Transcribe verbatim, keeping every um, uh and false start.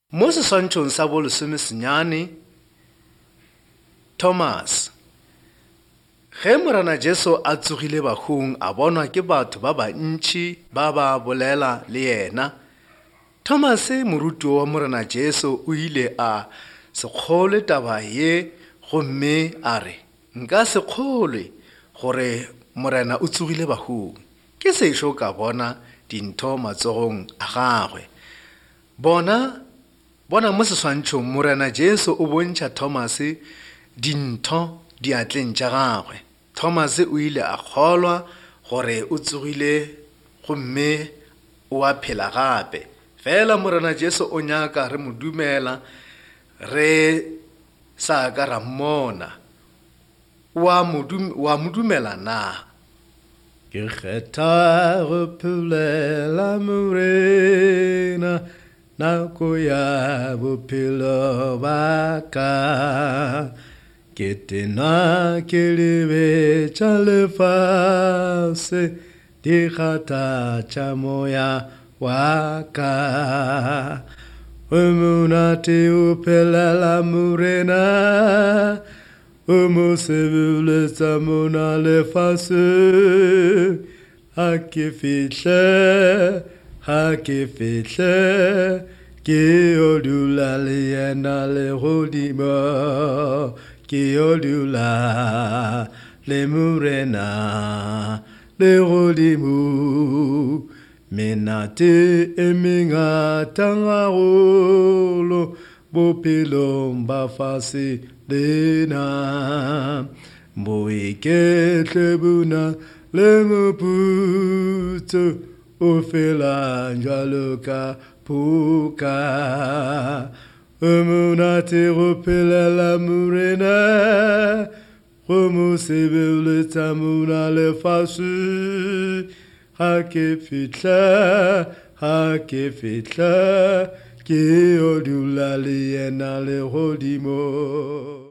Mo seswantšhong sa bolesomesenyane, Thomas. Ge Morena Jesu a tsogile bahung a bonwa ke batho ba bantši ba ba bolela le yena, Thomas morutiwa wa Morena Jesu o ile a se kgolwe taba ye gomme a re, nka se kgolwe gore Morena o tsogile bahung, ke sešo ka bona dintho matsogong a gagwe. Bona bona mo seswantšhong Morena Jesu o bontšha Thomas dintho diatleng tša gagwe. Thomas o ile a kgolwa gore o tsogile gomme o a phela gape. Fela Morena Jesu o nyaka re mo dumela re sa ka ra mmona. Wa mo dumela na? Ke kgetha go phelela Morena nako ya bophelo ba ka. Ke tena ke lebetša lefase di kgathatša moya wa ka. O monate o phelela Morena, o mo sebeletsa mona lefaseng. Ha ke fihle, ha ke fihle, ke yo dula le yena legodimo, ke yo dula le Morena legodimo. Menate e mengata haholo bophelong ba fase lena. Boiketle bo na le moputso o felang jwalo ka phoka. O monate go phelela Morena, go mo sebeletsa mona lefaseng. Ha ke fihla, ha ke fihla, ke yo dula le yena legodimo.